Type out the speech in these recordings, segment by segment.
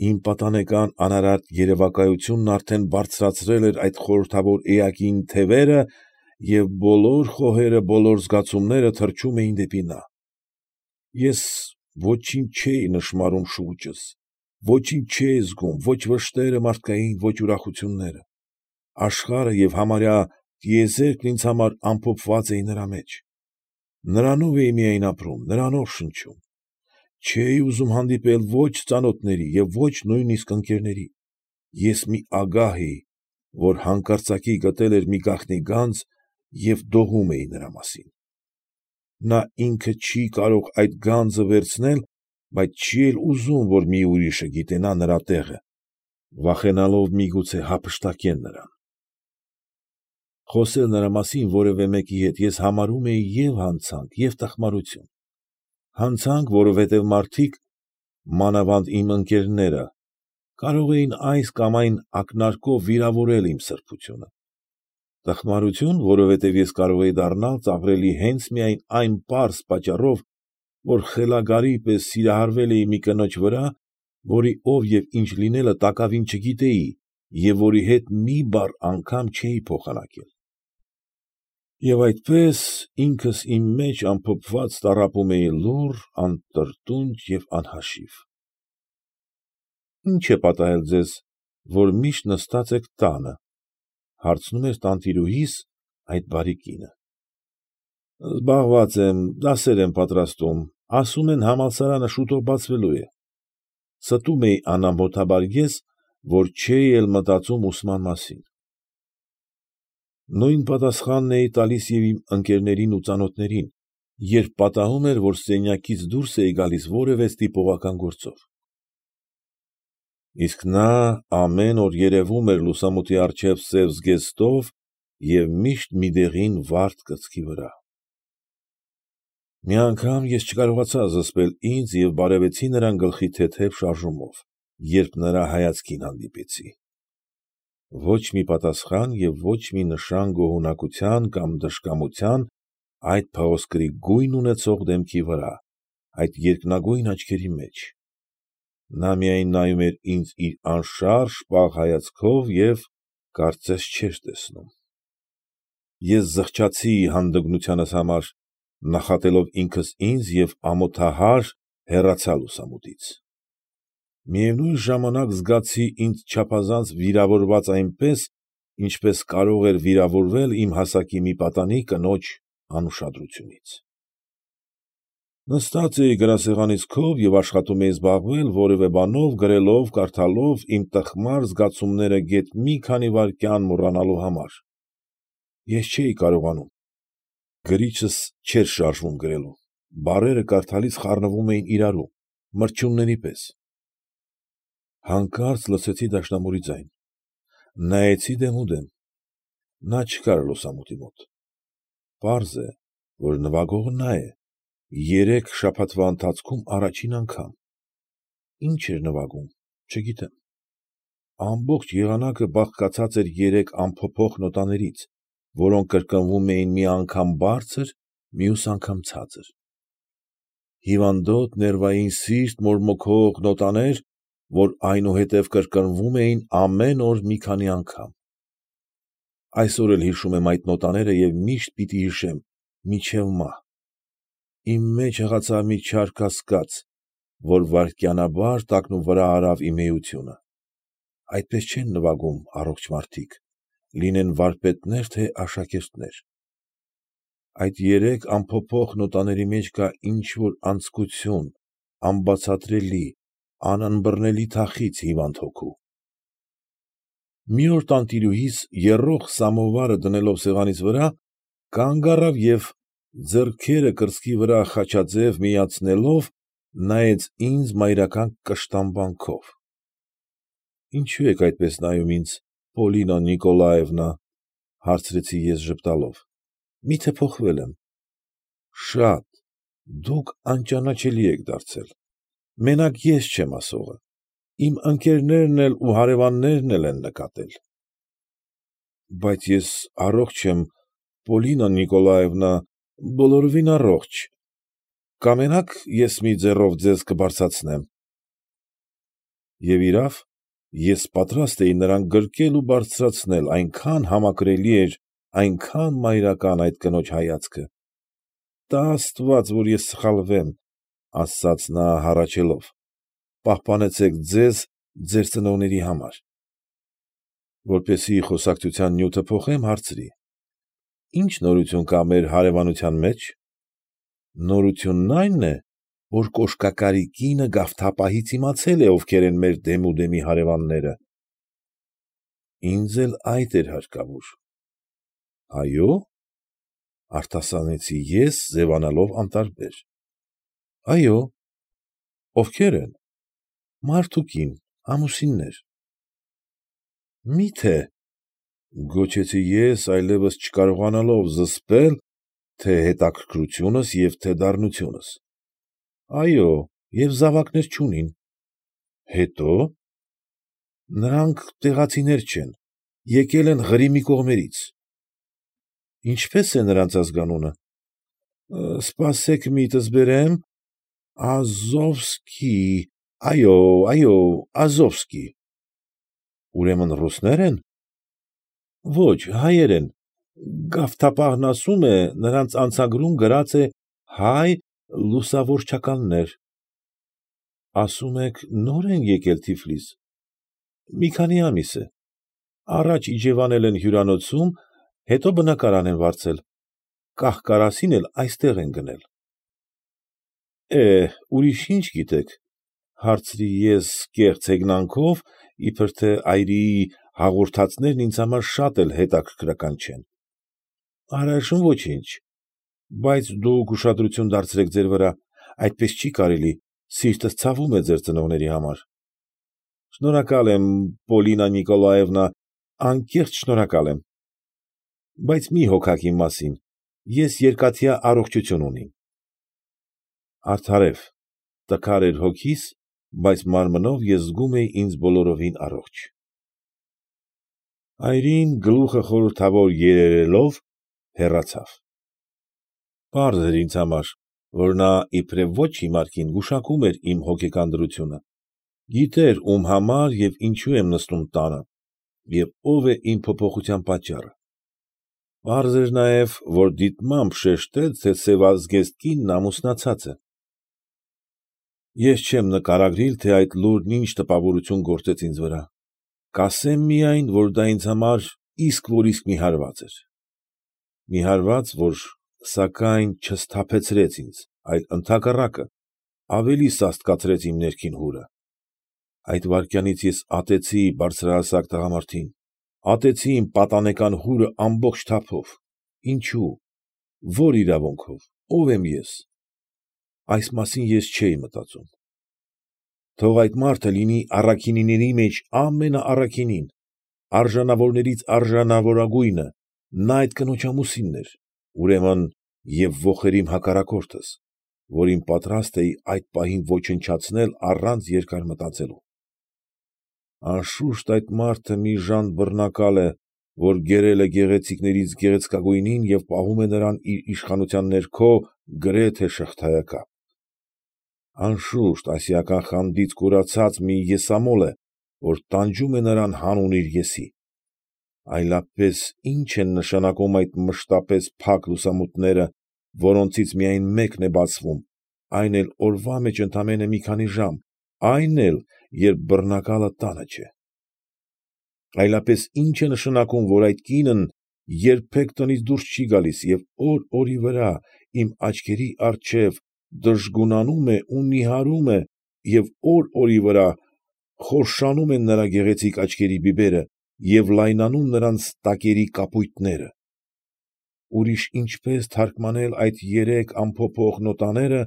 Իմ պատանեկան անարատ երևակայությունն արդեն բարձրացրել էր այդ խորհրդավոր էակին թևերը և բոլոր խոհերը, բոլոր զգացումները թռչում էին դեպի նա. Ես ոչինչ չէի նշմարում շուրջս, ոչինչ չէի զգում, ո՛չ վշտերը մարդկային, ո՛չ ուրախությունները, աշխարհը և համարյա տիեզերքն ինձ համար ամփոփված էին նրա մեջ, նրանով էի միայն ապրում, նրանով շնչում, չէի ուզում հանդիպել ո՛չ ծանոթների և ո՛չ նույնիսկ ընկերների, ես մի ագահ էի, որ հանկարծակի գտել էր մի գաղտնի գանձ և դողում էի նրա մասին, նա ինքը չի կարող այդ գանձը վերցնել, բայց չի էլ ուզում, որ մի ուրիշը գիտենա նրա տեղը, վախենալով միգուցե հափշտակեն նրան։ Խոսել նրա մասին որևէ մեկի հետ ես համարում էի և՛ հանցանք և՛ տխմարություն, հանցանք, որովհետև մարդիկ, մանավանդ իմ ընկերները, կարող էին այս կամ այն ակնարկով վիրավորել իմ սրբությունը, տխմարություն, որովհետև ես կարող էի դառնալ ծաղրելի հենց միայն այն պարզ պատճառով, որ խելագարի պես սիրահարվել էի մի կնոջ վրա, որի ով և ինչ լինելը տակավին չգիտեի և որի հետ մի բառ անգամ չէի փոխանակել։ Եվ այդպես, ինքս իմ մեջ ամփոփված տառապում էի լուռ, անտրտունջ և անհաշիվ։ ֊ Ի՞նչ է պատահել ձեզ, որ միշտ նստած եք տանը, ֊ հարցնում էր տանտիրուհիս, այդ բարի կինը։ ֊ Զբաղված եմ, դասեր եմ պատրաստում, ասում են համալսարանը շուտով բացվելու է, ֊ ստում էի անամոթաբար ես, որ չէի էլ մտածում ուսման մասին։ Նույն պատասխանն էի տալիս և իմ ընկերներին ու ծանոթներին, երբ պատահում էր, որ սենյակից դուրս էի գալիս որևէ ստիպողական գործով։ Իսկ նա ամեն օր երևում էր լուսամուտի առջև սև զգեստով և միշտ մի դեղին վարդ կրծքի վրա։ Մի անգամ ես չկարողացա զսպել ինձ և բարևեցի նրան գլխի թեթև շարժումով, երբ նրա հայացքին հանդիպեցի։ Ոչ մի պատասխան և ոչ մի նշան գոհունակության կամ դժկամության այդ փղոսկրի գույն ունեցող դեմքի վրա, այդ երկնագույն աչքերի մեջ, նա միայն նայում էր ինձ իր անշարժ, պաղ հայացքով և, կարծես, չէր տեսնում։ Ես զղջացի հանդգնությանս համար, նախատելով ինքս ինձ և ամոթահար հեռացա լուսամուտից։ Միևնույն ժամանակ զգացի ինձ չափազանց վիրավորված այնպես, ինչպես կարող էր վիրավորվել իմ հասակի մի պատանի կնոջ անուշադրությունից։ Նստած էի գրասեղանիս քով և աշխատում էի զբաղվել որևէ բանով, գրելով, կարդալով իմ տխմար զգացումները գեթ մի քանի վայրկյան մոռանալու համար, ես չէի կարողանում, գրիչս չէր շարժվում գրելու, բառերը կարդալիս խառնվում էին իրարու, մրջյունների պես։ Հանկարծ լսեցի դաշնամուրի ձայն, նայեցի դեմուդեմ, նա չկար լուսամուտի մոտ։ Պարզ է, որ նվագողը նա է, երեք շաբաթվա ընթացքում առաջին անգամ։ Ինչ էր նվագում, չգիտեմ։ Ամբողջ եղանակը բաղկացած էր երեք անփոփոխ նոտաներից, որոնք կրկնվում էին մի անգամ բարձր, մյուս անգամ ցածր։ Հիվանդոտ, ներվային, սիրտ մորմոքող նոտաներ, որ այնուհետև կրկնվում էին ամեն օր մի քանի անգամ։ Այսօր էլ հիշում եմ այդ նոտաները և միշտ պիտի հիշեմ, մինչև մահ։ Իմ մեջ հղացավ մի չար կասկած, որ վայրկենաբար տակնուվրա արավ իմ էությունը։ Այդպես չեն նվագում առողջ մարդիկ, լինեն վարպետներ, թե աշակերտներ։ Այդ երեք անփոփոխ նոտաների մեջ կա ինչ֊որ անձկություն, անբացատրելի, անըմբռնելի թախիծ հիվանդ հոգու։ Մի օր տանտիրուհիս, եռող սամովարը դնելով սեղանիս վրա, կանգ առավ և, ձեռքերը կրծքի վրա խաչաձև միացնելով, նայեց ինձ մայրական կշտամբանքով։ ֊ Ինչո՞ւ եք այդպես նայում ինձ, Պոլինա Նիկոլաևնա, ֊ հարցրի ես ժպտալով, ֊ մի՞թե փոխվել եմ։ ֊ Շատ, դուք անճանաչելի եք դարձել, մենակ ես չեմ ասողը, իմ ընկերներն էլ ու հարևաններն էլ են նկատել։ ֊ Բայց ես առողջ եմ, Պոլինա Նիկոլաևնա, բոլորովին առողջ, կամենա՞ք ես մի ձեռով ձեզ կբարձրացնեմ։ Եվ իրավ, ես պատրաստ էի նրան գրկել ու բարձրացնել, այնքան համակրելի էր, այնքան մայրական այդ կնոջ հայացքը։ ֊ Տա աստված, որ ես սխալվեմ, ֊ ասաց նա հառաչելով, ֊ պահպանեցեք ձեզ ձեր ծնողների համար։ Որպեսզի խոսակցության նյութը փոխեմ, հարցրի. ֊ Ի՞նչ նորություն կա մեր հարևանության մեջ։ ֊ Նորությունն այն է, որ կոշկակարի կինը գավթապահից իմացել է ովքեր են մեր դեմուդեմի հարևանները։ ֊ Ինձ էլ այդ էր հարկավոր։ ֊ Այո՞, ֊ արտասանեցի ես, ձևանալով անտարբեր։ ֊ Այո։ ֊ Ովքեր են։ ֊ Մարդ ու կին, ամուսիններ։ ֊ Մի՞թե, ֊ գոչեցի ես, այլևս չկարողանալով զսպել թե՛ հետաքրքրությունս և թե՛ դառնությունս։ ֊ Այո, և զավակներ չունին։ ֊ Հետո՞։ ֊ Նրանք տեղացիներ չեն, եկել են Ղրիմի կողմերից։ ֊ Ինչպե՞ս է նրանց ազգանունը։ ֊ Սպասեք միտս բերեմ. Ազովսկի, այո, այո, Ազովսկի։ ֊ Ուրեմն ռուսնե՞ր են։ ֊ Ոչ, հայեր են, գավթապահն ասում է, նրանց անցագրում գրած է հայ լուսավորչականներ։ ֊ Ասում եք նո՞ր են եկել Թիֆլիս։ ֊ Մի քանի ամիս է։ Առաջ իջևանել են հյուրանոցում, հետո բնակարան են վարձել, կահ֊կարասին էլ այստեղ են գնել։ ֊ Ուրիշ ի՞նչ գիտեք, ֊ հարցրի ես կեղծ հեգնանքով, իբր թե այրիի հաղորդածներն ինձ համար շատ էլ հետաքրքրական չեն։ ֊ Առայժմ ոչինչ, բայց դուք ուշադրություն դարձրեք ձեր վրա, այդպես չի կարելի, սիրտս ցավում է ձեր ծնողների համար։ ֊ Շնորհակալ եմ, Պոլինա Նիկոլաևնա, անկեղծ շնորհակալ եմ։ Բայց մի հոգաք իմ մասին, ես երկաթյա առողջություն ունիմ։ Արդարև, տկար էր հոգիս, բայց մարմնով ես զգում էի ինձ բոլորովին առողջ։ Այրին, գլուխը խորհրդավոր երերելով, հեռացավ։ Պարզ էր ինձ համար, որ նա իբրև ոչ հիմար կին գուշակում էր իմ հոգեկան դրությունը, գիտեր ում համար և ինչու եմ նստում տանը և ով է իմ փոփոխության պատճառը։ Պարզ էր նաև, որ դիտմամբ շեշտեց, թե սևազգեստ կինն ամուսնացած է։ Ես չեմ նկարագրիլ, թե այդ լուրն ինչ տպավորություն գործեց ինձ վրա, կասեմ միայն, որ դա ինձ համար իսկ որ իսկ մի հարված էր։ Մի հարված, որ սակայն չսթափեցրեց ինձ, այլ ընդհակառակը, ավելի սաստկացրեց իմ ներքին հուրը։ Այդ վայրկյանից ես ատեցի բարձրահասակ տղամարդին, ատեցի իմ պատանեկան հուրը ամբողջ թափով։ Ինչո՞ւ, ո՞ր իրավունքով, ո՞վ եմ ես։ Այս մասին ես չէի մտածում։ Թող այդ մարդը լինի առաքինիների մեջ ամենաառաքինին, արժանավորներից արժանավորագույնը, նա այդ կնոջ ամուսինն էր, ուրեմն և ոխերիմ հակառակորդս, որին պատրաստ էի այդ պահին ոչնչացնել առանց երկար մտածելու։ Անշուշտ այդ մարդը մի ժանտ բռնակալ է, որ գերել է գեղեցիկներից գեղեցկագույնին և պահում է նրան իր իշխանության ներքո գրեթե շղթայակապ։ Անշուշտ ասիական խանդից կուրացած մի եսամոլ է, որ տանջում է նրան հանուն իր եսի։ Այլապես ի՞նչ են նշանակում այդ մշտապես փակ լուսամուտները, որոնցից միայն մեկն է բացվում, այն էլ օրվա մեջ ընդամենը մի քանի ժամ, այն էլ, երբ բռնակալը տանը չէ։ Այլապես ի՞նչ է նշանակում, որ այդ կինն երբեք տնից դուրս չի գալիս և օր֊օրի վրա իմ աչքերի առջև դժգունանում է ու նիհարում է և օր֊օրի վրա խորշանում են նրա գեղեցիկ աչքերի բիբերը և լայնանում նրանց տակերի կապույտները։ Ուրիշ ինչպե՞ս թարգմանել այդ երեք անփոփոխ նոտաները,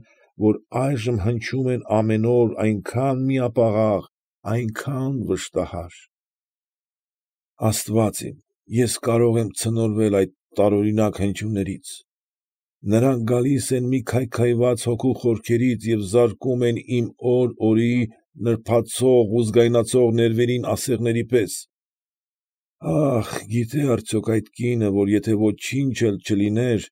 որ այժմ հնչում են ամեն օր այնքան միապաղաղ, այնքան վշտահար։ Աստված իմ, ես կարող եմ ցնորվել այդ տարօրինակ հնչյուններից։ Նրանք գալիս են մի քայքայված հոգու խորքերից և զարկում են իմ օր֊օրի նրբացող ու զգայնացող ներվերին ասեղների պես։ Ախ, գիտե՞ արդյոք այդ կինը, որ եթե ոչինչ էլ չլիներ,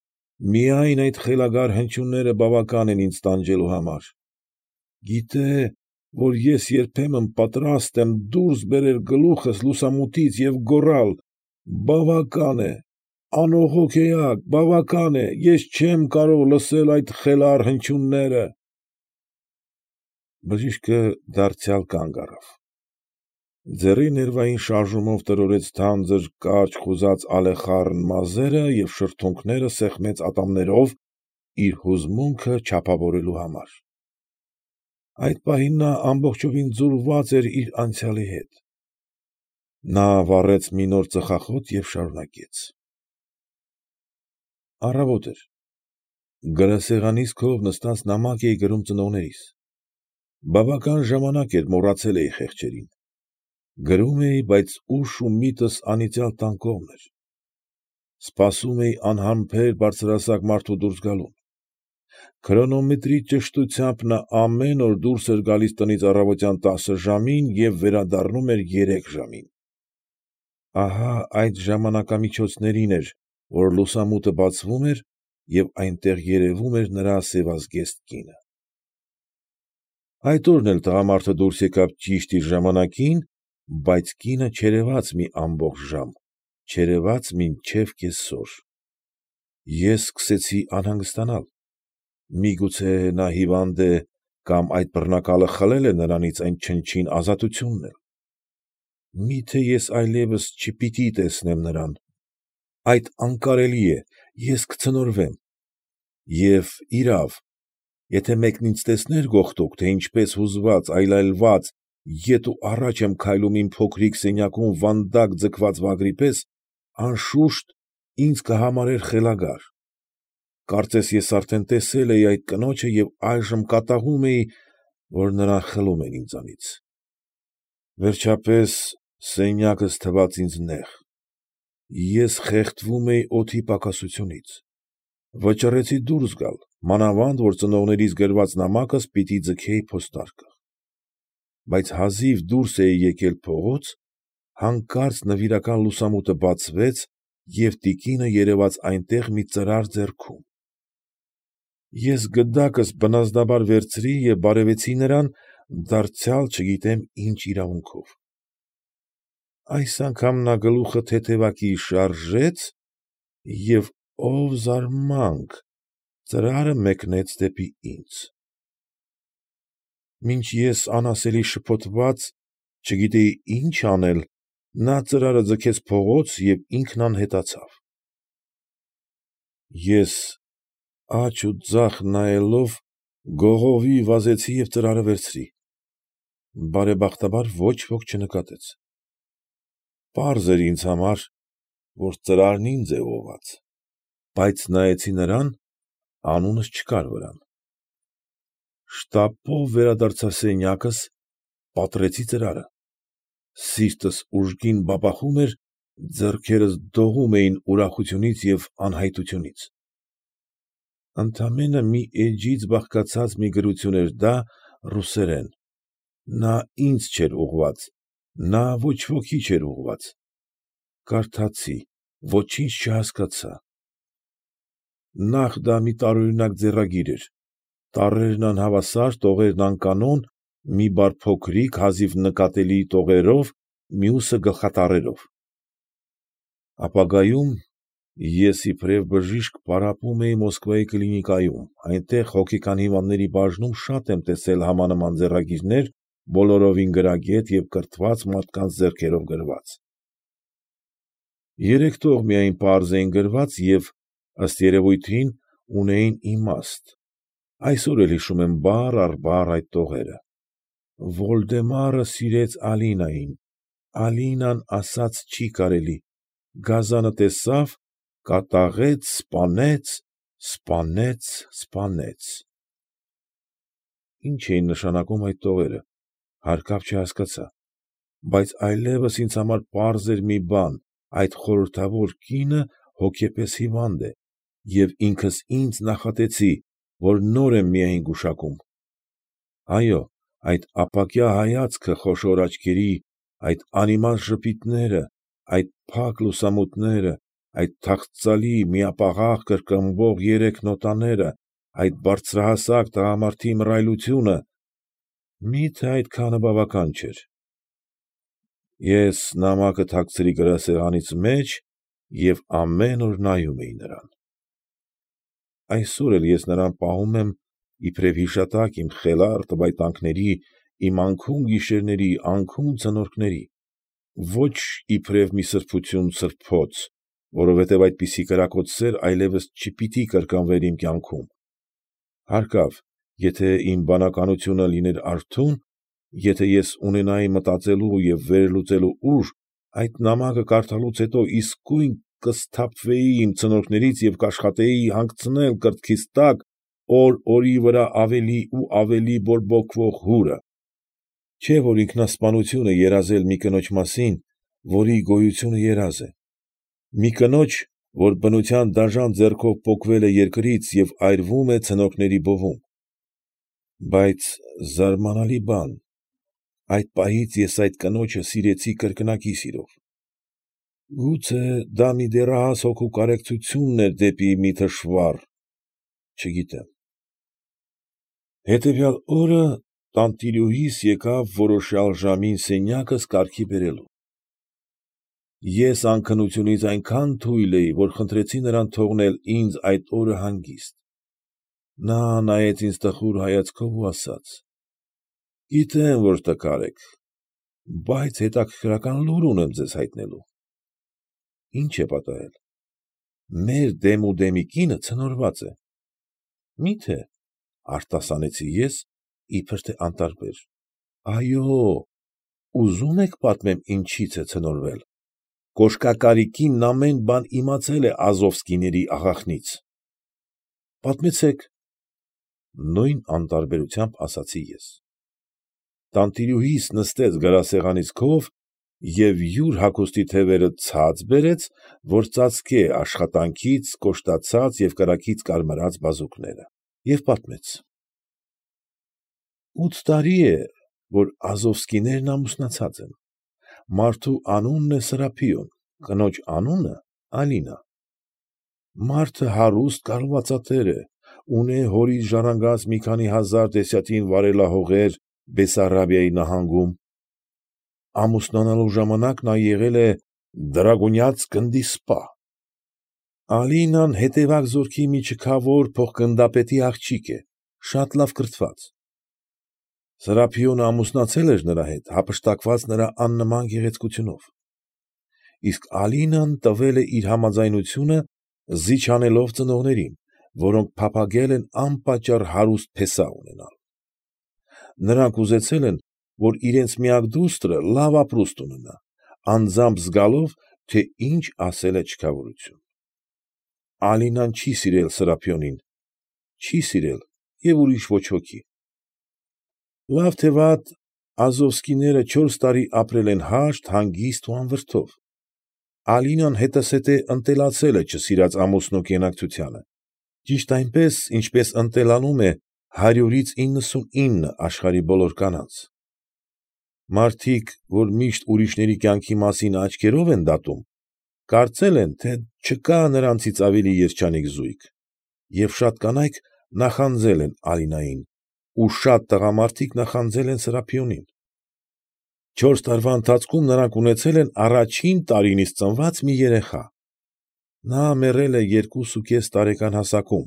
միայն այդ խելագար հնչյունները բավական են ինձ տանջելու համար։ Գիտե՞, որ ես երբեմն պատրաստ եմ դուրս բերել գլուխս լուսամուտից և գոռալ. «Բավական է, անողոք էակ, բավական է, ես չեմ կարող լսել այդ խելառ հնչյունները»։ Բժիշկը դարձյալ կանգ առավ։ Ձեռի ներվային շարժումով տրորեց թանձր, կարճ խուզած ալեխառն մազերը և շրթունքները սեղմեց ատամներով իր հուզմունքը չափավորելու համար։ Այդ պահին նա ամբողջովին ձուլված էր իր անցյալի հետ։ Նա վառեց մի նոր ծխախոտ և շարունակեց. Առավոտ էր։ Գրասեղանիս քով նստած նամակ էի գրում ծնողներիս։ Բավական ժամանակ էր մոռացել էի խեղճերին։ Գրում էի, բայց ուշ ու միտքս անիծյալ տան կողմն էր։ Սպասում էի անհամբեր բարձրահասակ մարդու դուրս գալուն։ Քրոնոմետրի ճշտությամբ նա ամեն օր դուրս էր գալիս տնից առավոտյան 10 ժամին և վերադառնում էր 3 ժամին։ Ահա այդ ժամանակամիջոցներին էր, որ լուսամուտը բացվում էր և այնտեղ երևում էր նրա սևազգեստ կինը։ Այդ օրն էլ տղամարդը դուրս եկավ ճիշտ իր ժամանակին, բայց կինը չերևաց մի ամբողջ ժամ, չերևաց մինչև կեսօր։ Ես սկսեցի անհանգստանալ։ Միգուցե նա հիվանդ է կամ այդ բռնակալը խլել է նրանից այն չնչին ազատությունն էլ։ Մի՞թե ես այլևս չպիտի տեսնեմ նրան։ Այդ անկարելի է, ես կցնորվեմ։ Եվ, իրավ, եթե մեկն ինձ տեսներ գողտուկ, թե ինչպես հուզված, այլայլված, ետ ու առաջ եմ քայլում իմ փոքրիկ սենյակում վանդակ ձգված վագրի պես, անշուշտ, ինձ կհամարեր խելագար։ Կարծես ես արդեն տեսել էի այդ կնոջը և այժմ կատաղում էի, որ նրան խլում են ինձանից։ Վերջապես, սենյակս թվաց ինձ նեղ։ Ես խեղդվում էի օդի պակասությունից։ Վճռեցի դուրս գալ, մանավանդ որ ծնողներիս գրված նամակս պիտի ձգեի պոստարկղ։ Բայց հազիվ դուրս էի եկել փողոց, հանկարծ նվիրական լուսամուտը բացվեց և տիկինը երևաց այնտեղ մի ծրար ձեռքում։ Ես գդակս բնազդաբար վերցրի և բարևեցի նրան, դարձյալ չգիտեմ ինչ իրավունքով։ Այս անգամ նա գլուխը թեթևակի շարժեց և, ով զարմանք, ծրարը մեկնեց դեպի ինձ։ Մինչ ես անասելի շփոթված, չգիտեի ինչ անել, նա ծրարը ձգեց փողոց և ինքն անհետացավ։ Ես աջ ու ձախ նայելով գողովի վազեցի և ծրարը վերցրի։ Բարեբախտաբար ոչ ոք չնկատեց։ Պարզ էր ինձ համար, որ ծրարն ինձ է ուղղված, բայց նայեցի նրան, անունս չկար վրան։ Շտապով վերադարձա սենյակս, պատռեցի ծրարը։ Սիրտս ուժգին բաբախում էր, ձեռքերս դողում էին ուրախությունից և անհայտությունից։ Ընդամենը մի էջից բաղկացած մի գրություն էր դա ռուսերեն։ Նա ինձ չէր ուղղված, նա ոչ ոքի չէր ուղղված։ Կարդացի, ոչինչ չհասկացա։ Նախ դա մի տարօրինակ ձեռագիր էր, տառերն անհավասար, տողերն անկանոն, մի բառ փոքրիկ, հազիվ նկատելի տողերով, մյուսը գլխատառերով։ Ապագայում ես իբրև բժիշկ պարապում էի Մոսկվայի կլինիկայում, այնտեղ հոգեկան հիվանդների բաժնում շատ եմ տեսել համանման ձեռագիրներ, բոլորովին գրագետ և կրթված մարդկանց ձեռքերով գրված։ Երեք տող միայն պարզ էին գրված և, ըստ երևույթին, ունեին իմաստ, այսօր էլ հիշում եմ բառ առ բառ այդ տողերը. Վոլդեմարը սիրեց Ալինային, Ալինան ասաց չի կարելի, գազանը տեսավ, կատաղեց, սպանեց, սպանեց, սպանեց… Ինչ էին նշանակում այդ տողերը, հարկավ չհասկացա, բայց այլևս ինձ համար պարզ էր մի բան, այդ խորհրդավոր կինը հոգեպես հիվանդ է, և ինքս ինձ նախատեցի, որ նոր եմ միայն գուշակում։ Այո, այդ ապակյա հայացքը խոշոր աչքերի, այդ անիմաստ ժպիտները, այդ փակ լուսամուտները, այդ թախծալի, միապաղաղ կրկնվող երեք նոտաները, այդ բարձրահասակ տղամարդի մռայլությունը… Մի՞թե այդքանը բավական չէր։ Ես նամակը թաքցրի գրասեղանիս մեջ և ամեն օր նայում էի նրան։ Այսօր էլ ես նրան պահում եմ իբրև հիշատակ իմ խելառ տվայտանքների, իմ անքուն գիշերների, անքուն ձնորքների, ոչ իբրև մի սրբություն սրբոց, որովհետև այդպիսի կրակոտ սեր այլևս չպիտի կրկնվեր իմ կյանքում։ Հարկավ, եթե իմ բանականությունը լիներ արթուն, եթե ես ունենայի մտածելու և վերլուծելու ուժ, այդ նամակը կարդալուց հետո իսկույն կսթափվեի իմ ցնորքներից և կաշխատեի հանգցնել կրծքիս տակ օր֊օրի վրա ավելի ու ավելի բորբոքվող հուրը։ Չէ՞ որ ինքնասպանություն է երազել մի կնոջ մասին, որի գոյությունը երազ է, մի կնոջ, որ բնության դաժան ձեռքով պոկվել է երկրից և այրվում է ցնորքների բովում։ Բայց զարմանալի բան, այդ պահից ես այդ կնոջը սիրեցի կրկնակի սիրով։ Գուցե դա մի դեռահաս հոգու կարեկցությունն էր դեպի մի թշվառ, չգիտեմ։ Հետևյալ օրը տանտիրուհիս եկավ որոշյալ ժամին սենյակս կարգի բերելու։ Ես անքնությունից այնքան թույլ էի, որ խնդրեցի նրան թողնել ինձ այդ օրը հանգիստ։ Նա նայեց ինձ տխուր հայացքով ու ասաց. ֊ Գիտեմ, որ տկար եք, բայց հետաքրքրական լուր ունեմ ձեզ հայտնելու։ ֊ Ի՞նչ է պատահել։ ֊ Մեր դեմուդեմի կինը ցնորված է։ ֊ Մի՞թե, ֊ արտասանեցի ես, իբր թե անտարբեր։ ֊ Այո՛, ուզո՞ւմ եք պատմեմ ինչից է ցնորվել։ Կոշկակարի կինն ամեն բան իմացել է Ազովսկիների աղախինից։ ֊ Պատմեցեք, ֊ նույն անտարբերությամբ ասացի ես։ Տանտիրուհիս նստեց գրասեղանիս քով և յուր հագուստի թևերը ցած բերեց, որ ծածկե աշխատանքից կոշտացած և կրակից կարմրած բազուկները, և պատմեց. 8 տարի է, որ Ազովսկիներն ամուսնացած են։ Մարդու անունն է Սրափիոն, կնոջ անունը՝ Ալինա։ Մարդը հարուստ կալվածատեր է, ունե հորից ժառանգած մի քանի հազար դեսյատին վարելահորղեր Բեսարաբիայի նահանգում։ Ամուսնանալու ժամանակ նա եղել է դրագունյան գնդի սպա։ Ալինան հետևակ զորքի մի չքավոր փոխ֊գնդապետի աղջիկ է, շատ լավ կրթված։ Սրափիոնը ամուսնացել էր նրա հետ, հափշտակված նրա աննման գեղեցկությունով։ Իսկ Ալինան տվել է իր համաձայնությունը, զիջանելով ծնողներին, որոնք փափագել են անպատճառ հարուստ փեսա ունենալ։ Նրանք ուզեցել են, որ իրենց միակ դուստրը լավ ապրուստ ունենա, անձամբ զգալով, թե ինչ ասել է չքավորություն։ Ալինան չի սիրել Սրափիոնին, չի սիրել և ուրիշ ոչ ոքի։ Լավ թե վատ, Ազովսկիները 4 տարի ապրել են հաշտ, հանգիստ ու անվրդով։ Ալինան հետզհետե ընտելացել է չսիրած ամուսնու կենակցությանը, ճիշտ այնպես, ինչպես ընտելանում է 100-ից 99 աշխարհի բոլոր կանանց։ Մարդիկ, որ միշտ ուրիշների կյանքի մասին աչքերով են դատում, կարծել են, թե չկա նրանցից ավելի երջանիկ զույգ, և շատ կանայք նախանձել են Ալինային, ու շատ տղամարդիկ նախանձել են Սրափիոնին։ 4 տարվա ընթացքում նրանք ունեցել են առաջին տարինից ծնված մի երեխա։ Նա մեռել է 2,5 տարեկան հասակում,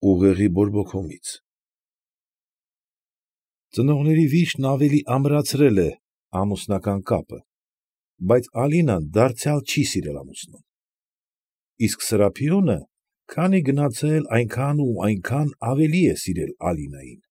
ուղեղի բորբոքումից։ Ծնողների վիշտն ավելի ամրացրել է ամուսնական կապը, բայց Ալինան դարձյալ չի սիրել ամուսնուն։ Իսկ Սրափիոնը քանի գնացել այնքան ու այնքան ավելի է սիրել Ալինային։